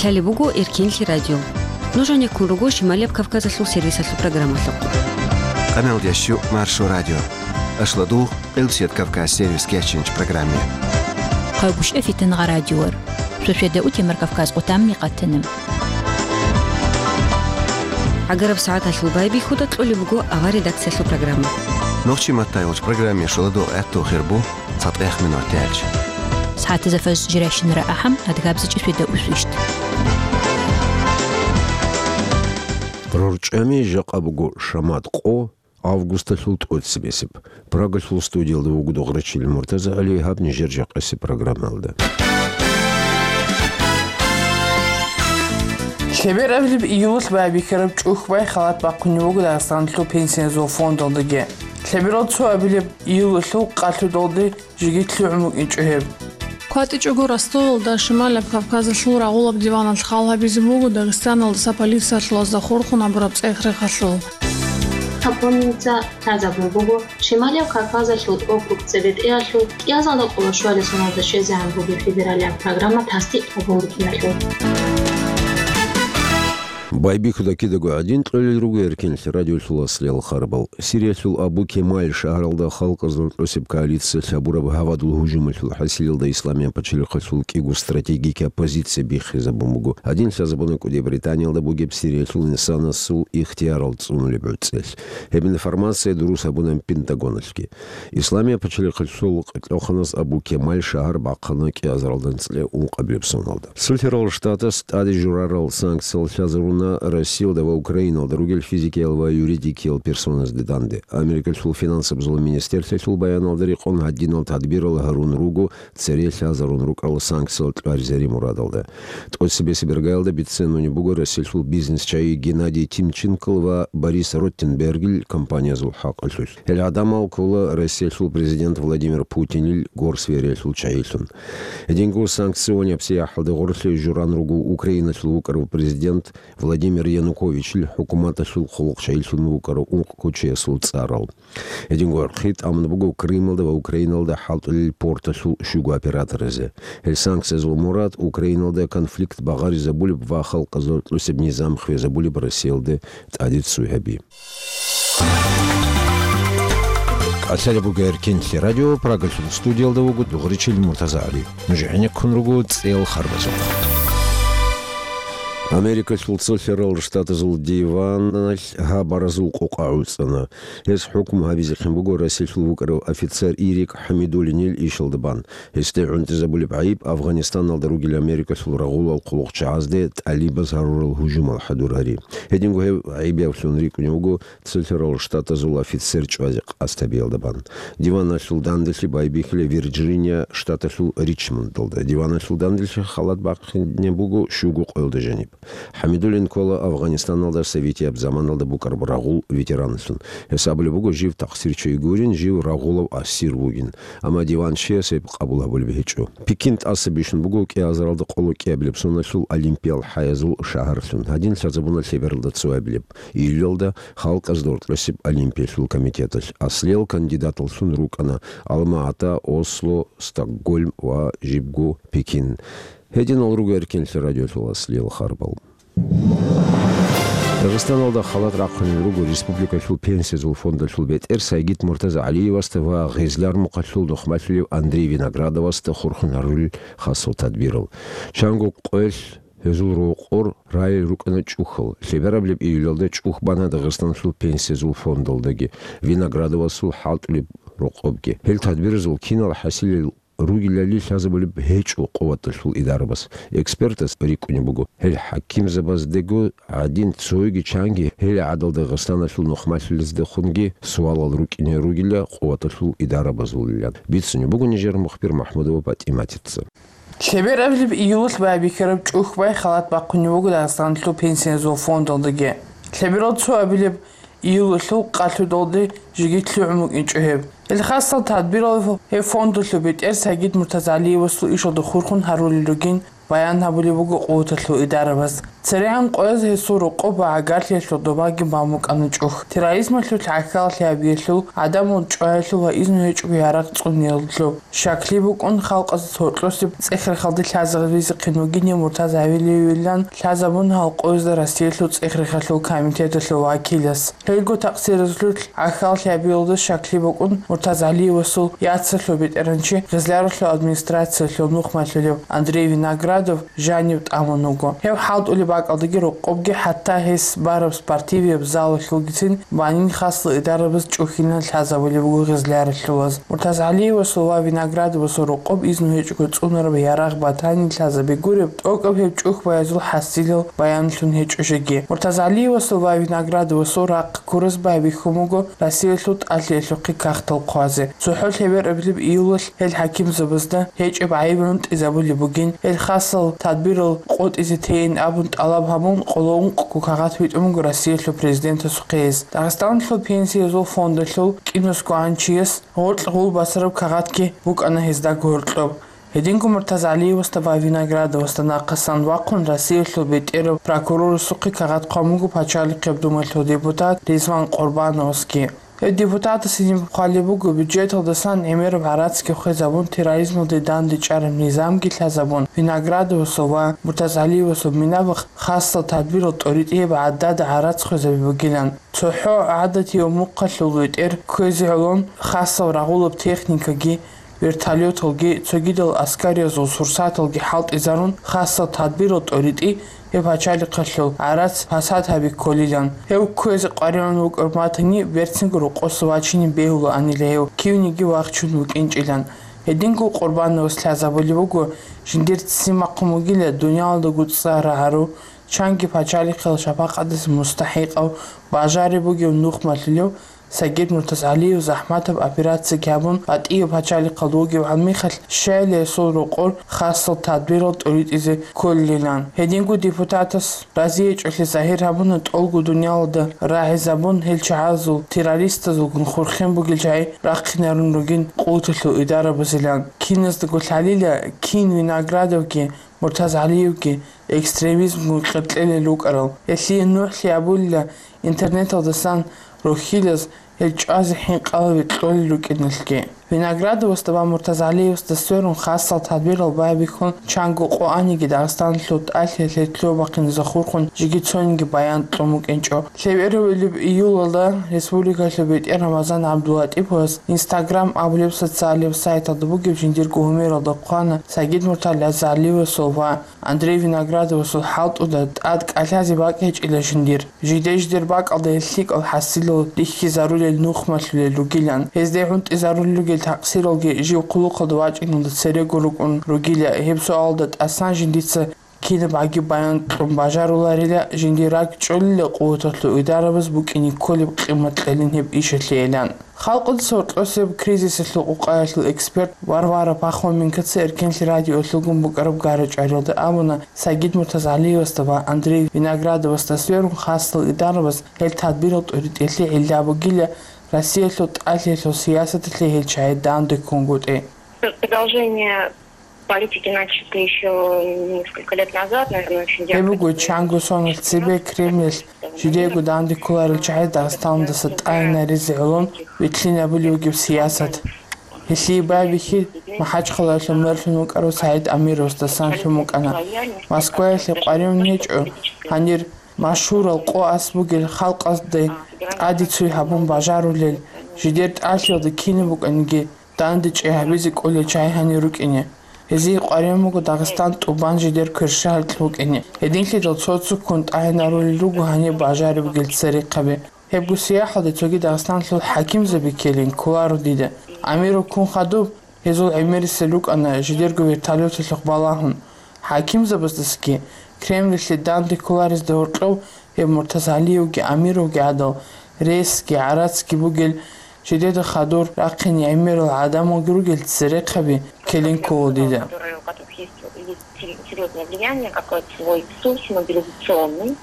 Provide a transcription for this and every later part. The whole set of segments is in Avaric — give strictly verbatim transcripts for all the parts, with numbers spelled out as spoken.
Лъалеб буго Эркенлъи радио. Нуж гьанеккун руго Шималияб Кавказалъул сервисалъул программалъухъ. Къамел дящу Маршо радио. Ашладугъ, Къилбсият Кавказ сервис кечинч программе. Къагушев Фитангъа радиор. Шошеда утемар Кавказ къутамни къатана. Агараб сагӀаталъул байбихьуда кьолеб буго авар редакциялъул программа. Нохчи маттайгъуч программе шоладо гӀатту хирбу. ЦатӀех минут тӀелч. СагӀатазда фаз жирайщинара ахӀам, адгабзичӀи шведа усвищт. РорчӀами жакъа буго шамат къо, августалъул тӀоцебесеб. Прагалъул студиялда вуго Дугърачил МуртазагӀали, гьаб нижер жакъасеб программалда. Лъеберабилеб июлалъ байбихьараб чӀухь бай халат бахъунев вуго Дагъистаналъул пенсиязул фондалдаги. Лъеберал цоабилеб июлалъул къалъудалде жеги лъугӀун букӀинчӀо гьеб. КватӀичӀого Ростовалда Шималаб Кавказалъул рагъулаб диваналъ хал гьабизе буго Дагъистаналдаса полициялъулазда хурхун гьабураб цӀех-рехалъул. Гьаб гьунинца лъазабун буго Шималаб Кавказалъул округ цебетӀеялъул кӀиазалда къоло щвалесуналда щвезегӀан бугеб федералияб программа тасдикъ гьабун букӀиналъул. Байбихьуда кидаго гӀадин кьолел руго Эркенлъи радиолъул аслиял харбал. Сириялъул Абу Кемаль шагьаралда халкъазул тӀосеб коалициялъ гьабураб гьавадул гьужумалъул хӀасилалда Исламияб пачалихъалъул кӀиго стратегикаб позиция биххизабун буго. Гьадин лъазабуна кӀуди Британиялда бугеб Сириялъул инсанасул ихтиярал цӀунулеб гӀуцӀелъ. Гьеб информация дурус гьабуна Пентагоналъги. Исламияб пачалихъалъул къилъухъанас Абу Кемаль шагьар бахъана кӀиазаралда нилъер ункъабилеб соналда. Цолъарал Штатас тӀаде журарал санкциял лъазаруна Россиялда ва Украиналда ругел физикиял ва юридикиял персоназде данде. Америкалъул финансабазул министрлъиялъул баяналда рекъон гьадинал тадбирал гьарун руго цере лъазарун рукӀарал санкциял кьваризари мурадалда. ТӀоцебесеб иргаялда бицунеб буго Россиялъул бизнес-чагӀи Геннадий Тимченкол ва Борис Ротенбергил компаниязул хӀакъалъулъ. Гьел гӀадамал ккола Россиялъул президент Владимир Путинил горсвериялъул чагӀилъун. Гьединго санкционияб сияхӀалда гъорлъе журан руго Украиналъул вукӀарав президент Владимир Януковичил хӀукуматалъул хъулухъчагӀилъун вукӀарав ункъ кочеясул цӀарал. Гьединго гӀорхъи тӀамун буго Крымалда ва Украиналда хӀалтӀулел порталъул щуго операторазе. Гьел санкциязул мурад Украиналда конфликт багъаризабулеб ва халкъазул тӀосеб низам хвезабулеб Россиялде тӀаде ццуй гьаби. КӀалъалеб буго Эркенлъи радио, Прагалъул студиялда вуго Дугъричил МуртазагӀали. Нуж гӀенеккун руго цӀел харбазухъ. Америкалъул цолъарал Штатазул диваналъ гьабаразул къокъа гӀуцӀана. Гьес хӀукму гьабизехъин буго Россиялъул вукӀарав офицер Ирик ХӀамидуллинил ишалда бан. Гьесде гӀунтӀизабулеб гӀайиб Афгъанистаналда ругел Америкалъул рагъулал хъулухъчагӀазде тӀалибаз гьарурал гьужумал хӀадурари. Гьединго гьев гӀайиб явлъун рикӀкӀунев вуго цолъарал Штатазул офицер чӀвазе къасд гьабиялда бан. Диваналъул данделъи байбихьила Вирджиния штаталъул Ричмондалда. Диваналъул данделъи халат бахъине буго щуго къоялда жаниб. ХӀамидуллин ккола Афгъанистаналда советияб заманалда букӀараб рагъул ветеранлъун. Гьес абулеб буго, жив такъсирчи гурин, жив рагъулав асир вугин. Амма диван чияс гьеб къабул гьабулеб гьечӀо. Пекин тӀаса бищун буго кӀиазаралда къоло кӀиабилеб соналъул олимпиял хӀаязул шагьарлъун. Гьадин лъазабуна лъебералда цоабилеб июлалда халкъазда гьоркьосеб олимпиялъул комитеталъ. Аслиял кандидаталлъун рукӀана Алма-Ата, Осло, Стокгольм ва жибго Пекин. Гьединал руго Эркенлъи радиолъул аслиял харбал. Дагъистаналда халат рахъунел руго республикалъул пенсиязул фондалъул бетӀер Сайгид МуртазагӀалиевасда ва Гъезлар мухъалъул нухмалъулев Андрей Виноградовасда хурхун гьарулел хасал тадбирал. Чанго къоялъ гьезул рокъор райил рукӀана чӀухьал. Лъеберабилеб июлалда чӀухь бана Дагъистаналъул пенсиязул фондалдаги, Виноградовасул хӀалтӀулеб рокъобги. Гьел тадбиразул кинал хӀасилел ругелали лъазабулеб гьечӀо къуваталъул идарабаз. Экспертаз рикӀкӀунеб буго, гьел хӀакимзабаздего гӀадин цоги чанги гьел гӀадал Дагъистаналъул нухмалъулездехунги суалал рукӀине ругила къуваталъул идарабазулилан. Бицунеб буго нижер мухбир МахӀмудова ПатӀиматица. Лъеберабилеб июлалъ байбихьараб чӀухь бай халат бахъунев вуго Дагъистаналъул пенсиязул фондалдаги. Лъеберал цоабилеб июлалъул къалъудалде жеги лъугӀун букӀинчӀо гьеб. Гьел хасал тадбирал гьеб фондалъул бетӀер Сайгид МуртазагӀалиевасул ишалда хурхун гьарулел ругин баян гьабулеб буго къуваталъул идарабаз. ЦерегӀан къояз гьесул рокъоб ва гӀагарлъиялъул добаги бан букӀана чӀухь. Терроризмалъул гӀахьаллъи гьабиялъул, гӀадамал чӀваялъул ва изну гьечӀого ярагъ цӀуниялъул щаклъи букӀун, халкъазда гьоркьосеб цӀех-рехалде лъазабизехъин вугин Муртаза ГӀалиевилан лъазабун гьал къоязда Россиялъул цӀех-рехалъул комитеталъул вакилас. Гьелго такъсиразулъ гӀахьаллъи гьабиялда щаклъи букӀун Муртаза ГӀалиевасул яцалъул бетӀергьанчи, Гъизляралъул администрациялъул нухмалъулев Андрей Виноградов жанив тӀамун вуго. Гьев хӀалтӀулеб бакӀалдаги рокъобги, хӀатта гьес бараб спортивияб залалъулгицин банин хасал идарабаз чӀухьилан лъазабулеб буго гъизляралъулаз. Муртаза ГӀалиевасул ва Виноградовасул рокъоб изну гьечӀого цӀунараб ярагъ батани лъазаби гуреб, тӀокӀаб гьеб чӀухь баязул хӀасилал баянлъун гьечӀо жеги. Муртаза ГӀалиевасул ва Виноградовасул рахъ ккураз байбихьун буго Россиялъул тӀалъиялъухъе кагътал хъвазе. ЦохӀо лъеберабилеб июлалъ гьел хӀакимзабазда гьечӀеб гӀайиб гӀунтӀизабулеб бугин, гьел хасал тадбирал къотӀизе тейин абун тӀалаб гьабун, къоло ункъго кагъат витӀун буго Россиялъул президентасухъе гьес. Дагъистаналъул пенсиязул фондалъул кӀинусгоанчияс гъоркь гъул басараб кагъатги букӀана гьезда гьоркьоб. Гьединго Муртаза ГӀалиевасда ва Виноградовасда нахъасан вахъун Россиялъул бетӀерав прокурорасухъе кагъат хъван буго пачалихъияб думалъул депутат Ризван Къурбановасги. Гьев депутатас гьениб хъвалеб буго, бюджеталдасан гӀемераб гӀарацги хвезабун, терроризмалде дандечӀараб низамги лъазабун, Виноградовасул ва Муртаза ГӀалиевасул минаб хасал тадбирал тӀоритӀияб гӀадада гӀарац хвезаби бугилан. ЦохӀо гӀадатияв мухъалъул бетӀер кквезе гӀолон хасал рагъулаб техникаги, вертолеталги, цогидал аскариязул сурсаталги хӀалтӀизарун, хасал тадбирал тӀоритӀи гьеб пачалихъалъул гӀарац пасад гьаби кколилан. Гьев кквезе къваригӀун вукӀараб матани, берцинго рокъоса вачине бегьулаанила гьев, кивниги вахчун вукӀинчӀилан. Гьединго Къурбановас лъазабулеб буго, жиндир ццин бахъун бугила дуниялалдаго цӀар гьару, чанги пачалихъал шапакъаталъе мустахӀикъав, бажариб бугев нухмалъулев Сагид Муртазгьалиев захӀматаб операциягун гьабун, батӀияб пачалихъалда вугев гьанмихалъ щайила гьесул рокъор хасал тадбирал тӀоритӀизе кколилан. Гьединго депутатас разиячӀолъи загьир гьабуна тӀолго дуниялалда рагӀизабун гьел чагӀазул, террористазулгун хурхен бугел чагӀи рахъинарун ругин къуваталъул идарабазилан. Киназдаго лъалила, кин Виноградовги Муртазгьалиевги экстремизмгун къеркьелел рукӀарал. Гьелъие нугӀлъи абулила интернеталдасан рухьилаз гьел чӀвазе хӀинкъалаби кьолел рукӀиналъги. Виноградовасда ва Муртазгьалиевасда сверун хасал тадбирал байбихьун, чанго къо аниги Дагъистаналъул тӀалъиялъе лъугьа-бахъиназе хурхун жеги цониги баян кьун букӀинчӀо. Лъеберабилеб июлалда республикалъул бетӀер Рамазан ГӀабдуллатӀиповас Instagram абулеб социалияб сайталда бугеб жиндирго гьумералда хъвана Сагид Муртазгьалиевасул ва Андрей Виноградовасул хӀалтӀуда тӀад кӀалъазе бакӀ гьечӀила жиндир. Жиде-жидер бакӀалда гьел лъикӀал хӀасилал рихьизарулел нухмалъулел ругилан. Гьезде гӀунтӀизарулел ругел такъсиралги жив хъулухъалда вачӀиналда церего рукӀун ругила. Гьеб суалалда тӀасан жиндица кинаб гӀаги баян кьун бажаруларила, жиндир ракӀчӀолила къуваталъул идарабаз букӀине кколеб къимат кьелин гьеб ишалъейилан. Халкъалъул гьоркьосеб кризисалъул къукъаялъул эксперт Варвара Пахоменкоца Эркенлъи радиолъулгун букӀараб гара-чӀвариялда абуна, Сагид Муртазгьалиевасда ва Андрей Виноградовасда сверун хасал идарабаз гьел тадбирал тӀоритӀелъи гӀилла бугила Россиялъул тӀалъиялъул сиясаталъе гьел чагӀи данде ккунгутӀи. Продолжение политики, начатой ещё несколько лет назад, наверное, очень Гьеб ярко буго чанго соналъ цебе Кремль жидеего данде кколарел чагӀи Дагъистаналдаса тӀагӀинаризе гӀолон вилълъинабулев вугев сиясат. Гьелъие байбихьи МахӀачхъалаялъул мэрлъун вукӀарав СагӀид Амировасдасан лъун букӀана. Москваялъе къваригӀун гьечӀо гьанир машгьурал къо ас бугел халкъазде тӀаде цой гьабун бажарулел, жидер тӀалъиялда кинаб букӀаниги, данде чӀей гьабизе кӀолел чагӀи гьанир рукӀине. Гьезие къваригӀун буго Дагъистан тӀубан жидер кверщаликь букӀине. Гьединлъидал цо-цоккун тӀагӀинарулел руго гьаниб бажариб бугел церехъаби. Гьебго сияхӀалде цоги Дагъистаналъул хӀакимзаби ккелин кколаро дида. Амиров ккун хадуб, гьезул гӀемерисел рукӀана жидерго вертолеталъухъ балагьун. ХӀакимзабаздасаги Кремльалъе данде кколарезда гьоркьов гьеб Муртазгьалиевги Амировги гӀадал ресги гӀарацги бугел, жидеда хадур рахъине гӀемерал гӀадамалги ругел церехъаби ккелин ккола дида. Которые, у которых есть, есть серьёзное влияние, какой-то свой ресурс мобилизационный.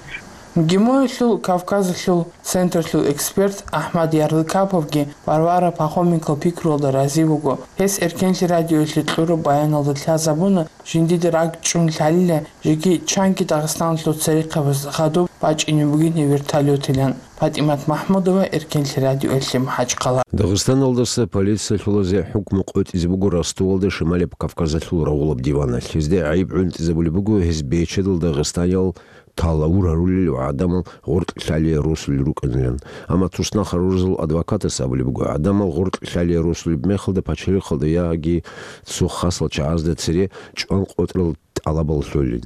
ГИМОялъул Кавказалъул центрлъул эксперт Ахмад Ярлыкаповги Варвара Пахоменко пикруялда рази вуго. Гьес Эркенлъи радиоялъе кьураб баяналда лъазабуна, жиндида ракӀчӀун лъалила, жеги чанги Дагъистаналъул церехъабаз хадуб бачӀине бугин гьев вертолётилан. ПатӀимат Махмудова, Эркенлъи радиоялъе, МахӀачхъала. Дагъистаналдаса полициялъулазе хӀукму къотӀизе буго Ростовалда Шималаб Кавказалъул рагъулаб диваналъ. Гьезда гӀайиб гӀунтӀизабулеб буго гьез бечедал дагъистаниял талавур гьарулел ва гӀадамал гъоркь лъалие росулел рукӀанилан. Амма туснахъ гьаруразул адвокатас абулеб буго, гӀадамал гъоркь лъалие росулеб мехалда пачалихъалда яги цо хасал чагӀазда цере чӀван къотӀрал тӀалабал лъолин.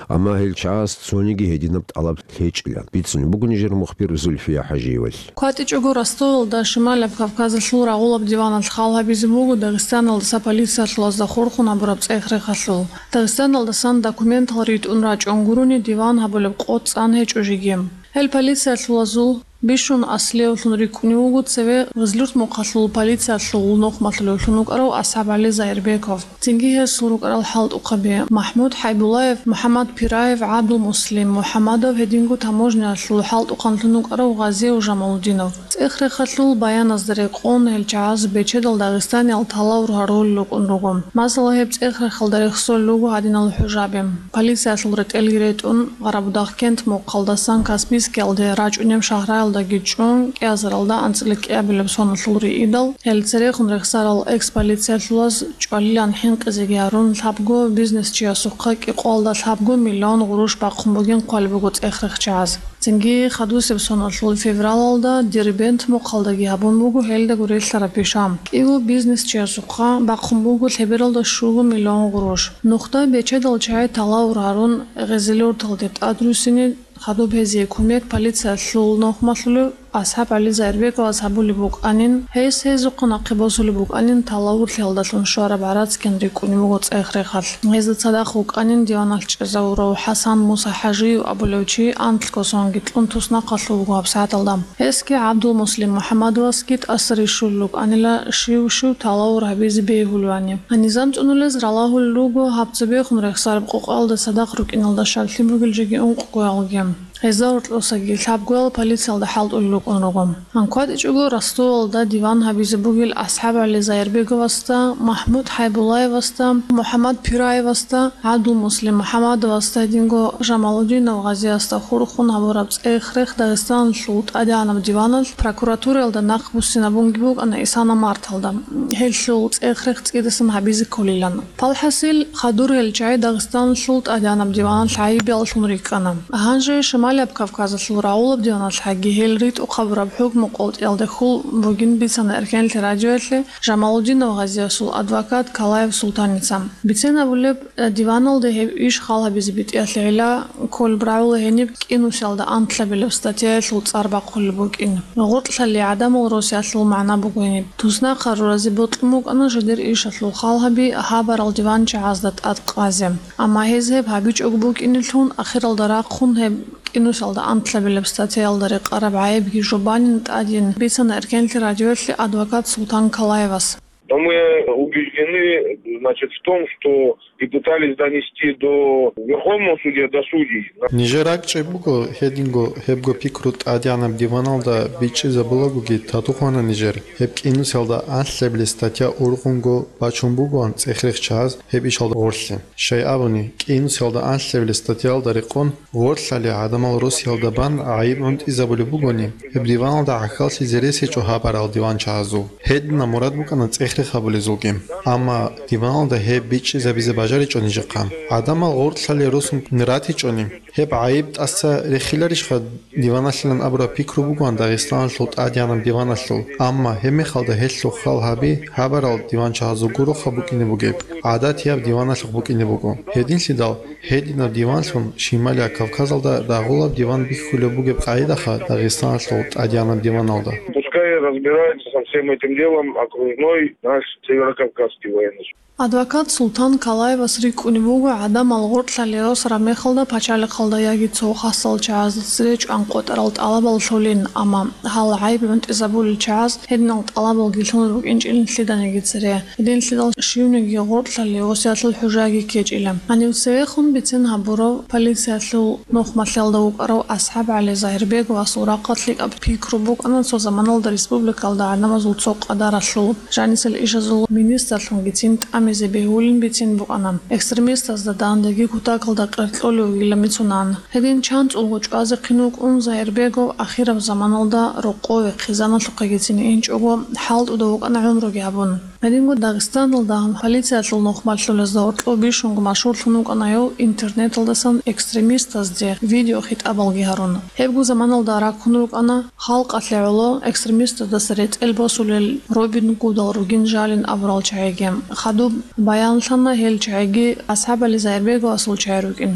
Амма гьел чагӀаз цониги гьединаб тӀалаб гьечӀилан, бицунеб буго нижер мухбир Зульфия ХӀажиевалъ. КватӀичӀого Ростовалда Шималаб Кавказалъул рагъулаб диваналъ хал гьабизе буго Дагъистаналдаса полициялъулазда хурхун гьабураб цӀех-рехалъул. Дагъистаналдасан документал ритӀун рачӀун гурони диван гьабулеб къо цӀан гьечӀо жеги. Гьел полициялъулазул бищун аслиявлъун рикӀкӀунев вуго цеве Гъизлюрт мухъалъул полициялъул нухмалъулевлъун вукӀарав АсхӀабгӀали Заирбеков. Цинги гьесул рукӀарал хӀалтӀухъаби: МахӀмуд ХӀайбулаев, МухӀаммад Пираев, ГӀабдулмуслим МухӀаммадов, гьединго таможниялъул хӀалтӀухъанлъун вукӀарав Гъазиев Жамалудинов. ЦӀех-рехалъул баяназда рекъон гьел чагӀаз бечедал дагъистаниял талавур гьарулел рукӀун руго. Масала, гьеб цӀех-рехалда рехсолел руго гьадинал хӀужаби. Полициялъул ретӀелги ретӀун, Къарабудагъкент мухъалдасан Каспийскиялде рачӀунеб шагьраялдаги чӀун, кӀиазаралда анцӀила кӀиабилеб соналъул риидал, гьел церехун рехсарал экс-полициялъулаз чӀвалилан хӀинкъизеги гьарун, лъабго бизнесчиясухъа кӀикъоялда лъабго миллион гъурущ бахъун бугин хъвалеб буго цӀех-рех чагӀаз. Цинги хадусеб соналъул февралалда Дербент мухъалдаги гьабун буго гьелдаго релълъараб пиша. КӀиго бизнесчиясухъа бахъун буго лъебералда щуго миллион гъурущ. Нухда бечедал чагӀи талавур гьарун, Гъизлюрталде тӀадруссине хадуб гьезие кумек полициялъул нухмалъулев АсхӀабгӀали Заирбековас гьабулеб букӀанин, гьес гьезухъа нахъе босулеб букӀанин, талавурлъиялдалъун щвараб гӀарацги рикӀкӀунеб буго цӀех-рехалъ. Гьезда цадахъ вукӀанин диваналъ чӀезавурав ХӀасан Муса ХӀажиев абулев чи анлъго сонги кьун туснахъалъув вуго гьабсагӀаталда. Гьесги ГӀабдулмуслим МухӀаммадовасги тӀаса рищулел рукӀанила щив-щив талавур гьабизе бегьулевани. Гьанизан цӀунулез ралагьулел руго гьаб цебехун рехсараб къокъаялда цадахъ рукӀиналда щаклъи бугел жеги ункъгоялги. Гьезда гьоркьосаги лъабгоял полициялда хӀалтӀулел рукӀун руго. ГьанкӀ кватӀичӀого Ростовалда диван гьабизе бугел АсхӀабгӀали Заирбеговасда, МахӀмуд ХӀайбулаевасда, МухӀаммад Пираевасда, ГӀабдулмуслим МухӀаммадовасда, гьединго Жамалудинов Гъазиясда хурхун гьабураб цӀех-рех Дагъистаналъул ТӀадегӀанаб диваналъ прокуратураялда нахъ буссинабунги букӀана исана марталда, гьелъул цӀех-рех цӀидасан гьабизе кколилан. Палхасил, хадур гьел чагӀи Дагъистаналъул ТӀадегӀанаб диваналъ гӀайибияллъун рикӀкӀана. Гьанже Шималияб Кавказалъул рагъулаб диваналъ гьагги гьел ритӀухъ гьабураб хӀукму къотӀиялде хьул бугин бицана Эркенлъи радиоялъе Жамалудинов Гъазиясул адвокат Калаев Султаница. Бицен абулеб, диваналде гьеб иш хал гьабизе битӀиялъе гӀела кколеб рагӀула гьениб кӀинусиялда анлъабилеб статьяялъул цӀар бахъулеб букӀин. Гъоркьлъали гӀадамал росиялъул магӀна буго гьениб. Туснахъ гьаруразе бокьун букӀана жидер ишалъул хал гьаби гьабарал диван чагӀазда тӀад къазе. Амма гьез гьеб гьабичӀого букӀинелъун, ахиралда рахъун гьеб кӀинусиялда анлъабилеб статьяялда рекъараб гӀайибги жубанин тӀадин бицана Эркенлъи радиоялъе адвокат Султан Калаевас. Но мы убеждены, значит, в том, что и пытались донести до Верховного судья, до судей. Нижер ракӀчӀеб буго, гьединго гьебго пикру ТӀадегӀанаб диваналда бичӀчӀизабулагоги татухъана нижер. Гьеб кӀинусиялда анлъабилеб статья ургъунго бачун бугоан цӀех-рех чагӀаз гьеб ишалда гъорлъе. Щай абуни, кӀинусиялда анлъабилеб статьялда рекъон, гъорлъали гӀадамал росиялда бан гӀайиб гӀунтӀизабулеб бугони, гьеб диваналда гӀахьаллъизе рес гьечӀо гьабарал диван чагӀазул. Гьединаб мурад букӀана цӀех-рех гьабулезулги. Амма диваналда гьеб бичӀчӀизабизе бажаричӀо нижехъа. ГӀадамал гъоркьлъали росун ратичӀони, гьеб гӀайиб тӀаса рехиларищха диваналъилан абураб пикру бугоан Дагъистаналъул ТӀадегӀанаб диваналъул. Амма гьеб мехалда гьелъул хал гьаби гьабарал диван чагӀазул гуроха букӀине бугеб, гӀадатияб диваналъухъ букӀине буго. Гьединлъидал, гьединаб диванлъун Шималияб Кавказалда рагъулаб диван бихьулеб бугеб къагӀидаха Дагъистаналъул ТӀадегӀанаб диваналда. Пускай Разбирается со всем этим делом окружной наш Северокавказский военный суд. Адвокат Султан Калаевас рикӀкӀунеб буго гӀадамал гъоркьалъе росараб мехалда пачалихъалда яги цо хасал чагӀазда цере чӀван къотӀарал тӀалабал лъолин, амма гьал гӀайиб гӀунтӀизабулел чагӀаз гьединал тӀалабалги лъун рукӀинчӀилин лъиданиги цере. Гьединлъидал щивниги гъоркьалъе росиялъул хӀужаги ккечӀила. Гьанив цевехун бицен гьабурав полициялъул нухмалъиялда вукӀарав АсхӀаб ГӀали Загьирбеговасул рахъалъ лъикӀаб пикру букӀана цо заманалда республикалда гӀадамазул цо къадаралъул жанисел ишазул министрлъунгицин тӀамизе бегьулин бицин букӀана. Экстремистазда дандаги кутакалда къеркьолев вугилан бицунан. Гьедин чанцӀулго чӀвазехъин вукӀун Загьирбегов ахираб заманалда рокъове хъизаналъухъегицин инчӀого хӀалтӀуда вукӀана гӀумруги гьабун. Гьединго Дагъистаналда полициялъул нухмалъулезда гьоркьоб бищунго машгьурлъун вукӀана гьев интернеталдасан экстремистазде видеохитӀабалги гьарун. Гьебго заманалда раккун рукӀана халкъалъе гӀоло экстремистаздаса ретӀел босулел Робин Гудал ругин жалин абурал чагӀиги. Хадуб баянлъана гьел чагӀиги АсхӀаб ГӀали Загьирбеговасул чагӀи рукӀин.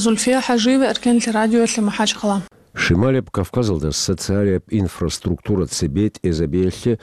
Зульфия ХӀажиева, Эркенлъи радиоялъе, МахӀачхъала. Шималияб Кавказалда социалияб инфраструктура цебетӀезабиялъе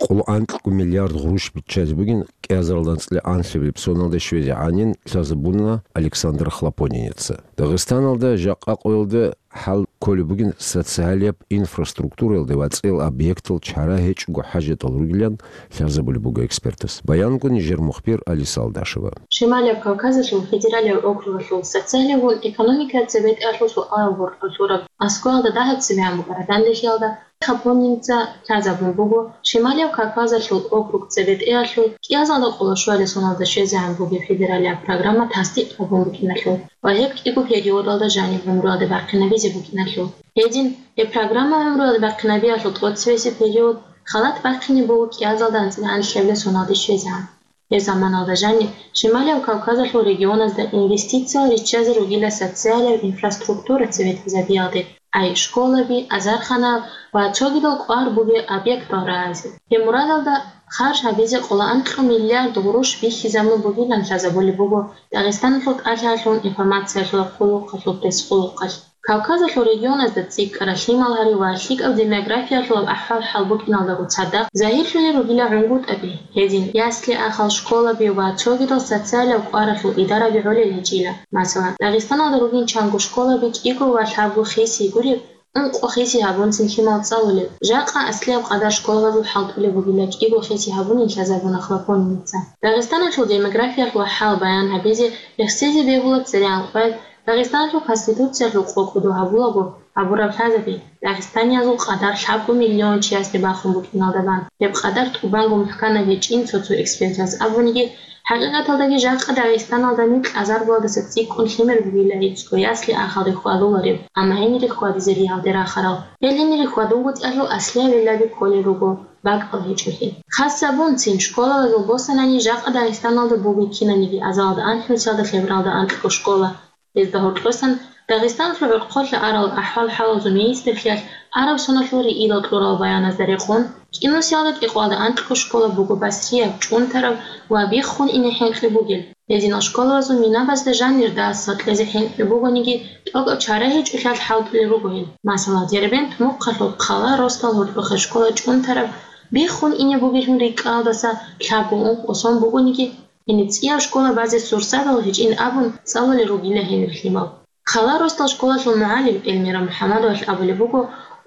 къоло анкьго миллиард гъурущ биччазе бугин кӀиазаралда анцӀила анлъабилеб соналда щвезе гӀанин лъазабуна Александр Хлопонинеца. Дагъистаналда жакъа къоялда хӀал кколеб бугин социалияб инфраструктураялда ва цӀел объектал чара гьечӀого хӀажатал ругилан лъазабулеб буго экспертас. Баянго нижер мухбир Алиса Алдашева. Шималияб Кавказалъул федералияб округалъул социалияб ва экономикаяб цебетӀеялъул суалал гьоркьоб лъураб аскӀоялда дагьаб цебегӀан букӀараб данделъиялда Хлопонинеца лъазабун буго Шималияб Кавказалъул округ цебетӀеялъул кӀиазалда къоло щуялъе соналда щвезегӀан бугеб федералияб программа тасдикъ гьабун букӀиналъул ва гьеб кӀиго периодалда жаниб гӀумруялде бахъинабизе букӀиналъул. Гьедин, гьеб программа гӀумруялде бахъинабиялъул тӀоцебесеб период халат бахъине буго кӀиазалда анцӀила анлъабилеб соналде щвезегӀан. Гьеб заманалда жаниб Шималияб Кавказалъул регионазда инвестициял риччазе ругила социалияб инфраструктура цебетӀезабиялде, ай школаби, азарханал ва цогидал кӀвар бугеб объектал рагӀазе. Гьеб мурадалда харж гьабизе къоло анкьго миллиард гъурущ бихьизабун бугилан лъазабулеб буго Дагъистаналъул тӀалъаялъул информациялъул къуллукъалъул пресс-къуллукъалъ. Кавказалъул регионазда цӀикӀкӀараб лъимал гьари ва лъикӀаб демографиялъулаб ахӀвал-хӀал букӀиналдаго цадахъ загьирлъулел ругила гӀунгутӀаби, гьедин ясли-ахал, школаби ва цогидал социалияб кӀваралъул идараби гӀолел гьечӀила. Масала, Дагъистаналда ругин чанго школаби кӀиго ва лъабго хиси гуреб, ункъо хиси гьабунцин лъимал цӀалулел. Жакъа аслияб къадар школабазул хӀалтӀулеб бугила кӀиго хиси гьабунин лъазабуна Хлопонинеца. Дагъистаналъул демографиялъул хӀал баян гьабизе рехсезе бегьула цере анкъваялъ Дагъистаналъул Конституциялъул къо-, кӀодо гьабулаго гьабураб лъазаби, дагъистаниязул къадар лъабго миллион чиясде бахун букӀиналда бан. Гьеб къадар тӀубанго мухӀканаб гьечӀин цо-цо экспертаз абуниги, хӀакъикъаталдаги жакъа Дагъистаналда микь азаргоялдаса цӀикӀкӀун лъимер бугила гӀицӀго ясли-ахал рихьвадуларев, амма гьенир рихьвадизе ригьалде рахарал. Гьел гьенир рихьвадунгутӀиялъул аслияб гӀиллаби кколел руго бакӀал гьечӀолъи. Хасабунцин школалазул босанани жакъа Дагъистаналда бугеб кинабниги азалалда анлънусиялда лъебералда анкьго школа. Гьезда гьоркьосан Дагъистаналъул гӀурхъулъа арал ахӀвал-хӀалалъул министрлъиялъ араб соналъул риилал кьурал баяназда рекъон, кӀинусиялда кӀикъоялда анкьго школа буго басрияб, чӀунтараб ва биххун ине хӀинкъи бугел. Гьединал школабазул минабазда жанир дас сакьезе хӀинкъи бугониги, тӀокӀаб чара гьечӀолъиялъ хӀалтӀулел руго гьел. Масала, Дербент мухъалъул хъала росдал гьоркьохъеб школа чӀунтараб, биххун ине бугелъун рикӀкӀалдаса лъабго-ункъо сон бугониги, гьениб цӀияб школа базе сурсадал гьечӀин абун цӀалулел ругила гьенир лъимал. Хъала росдал школалъул мугӀалим Эльмира МухӀаммадовалъ абулеб буго,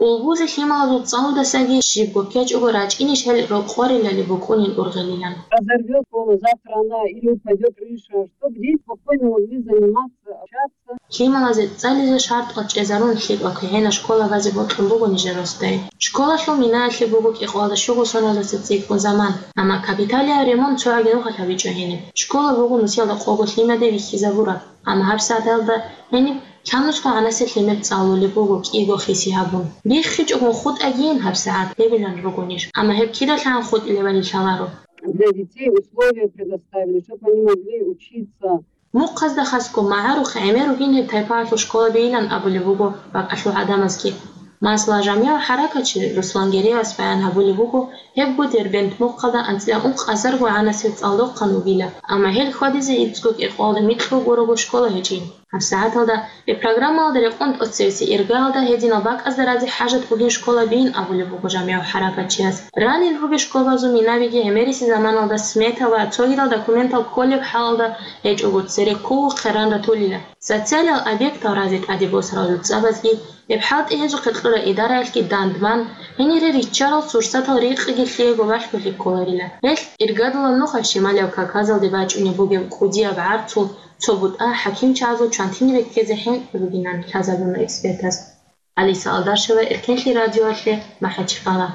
улбузе лъималазул цӀалудасаги щибго ккечӀого рачӀинищ гьел рокъорилали букӀунин ургъелилан. Разорвёт школу, завтра она или упадёт крыша, чтоб дети спокойно могли заниматься, общаться. Лъималазе цӀализе шартӀал чӀезарун лъикӀал квегӀинаб школа базе бокьун буго нижер росдай. Школалъул минаялъе буго кӀикъоялда щуго соналдаса цӀикӀкӀун заман, амма капиталияб ремонт цо гӀагенухъ гьабичӀо гьениб. Школа буго нусиялда къого лъимаде вихьизабураб, амма гьабсагӀаталда гьениб лъабнусго гӀанасеб лъимер цӀалулеб буго кӀиго хиси гьабун. БиххичӀогун хутӀагийин гьабсагӀат гьебилан ругонищ, амма гьеб кидалъан хутӀилебали лъаларо. Для детей условия предоставили, чтоб они могли учиться. Мухъазда хасго магӀарухъ гӀемер ругин гьеб тайпаялъул школабийилан абулеб буго бакӀалъул гӀадамазги. Масала, жамигӀ хӀаракатчи Руслан Гереевас баян гьабулеб буго, гьебго Дербент мухъалда анцӀила ункъазарго гӀанасел цӀалдохъан вугила, амма гьел хьвадизе гӀицӀго кӀикъоялда микьго гурого школа гьечӀин. ГьабсагӀаталда гьеб программалда рекъон тӀоцевесеб иргаялда гьединал бакӀазда разе хӀажат бугин школабийин абулеб буго жамигӀав хӀаракатчияс. Ранил ругел школабазул минабиги гӀемериси заманалда смета ва цогидал документал кколеб хӀалалда гьечӀого цере ккун хъеран ратулила. Социалиял объектал разе тӀаде босарал жуцӀабазги, гьеб хӀалтӀи гьезухъе кьурал идараялъги дандман, гьенире риччарал сурсатал рикъиги лъиего балъголъи кколарила. Гьелъ иргадулаб нуха Шималияб Кавказалде бачӀунеб бугеб кӀудияб гӀарцул цо бутӀа хӀакимчагӀазул чвантине беккезе хӀинкъи бугинан лъазабуна экспертаз. Алиса Алдашева, Эркенлъи радиоялъе, МахӀачхъала.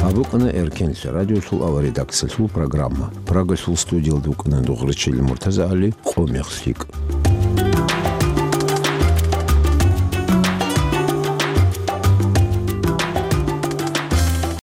АбукӀана Эркенлъи радиолъул авария редакциялъул программа. Прагалъул студиялда вукӀана Дугърачил МуртазагӀали, «Къо мех лъикӀ».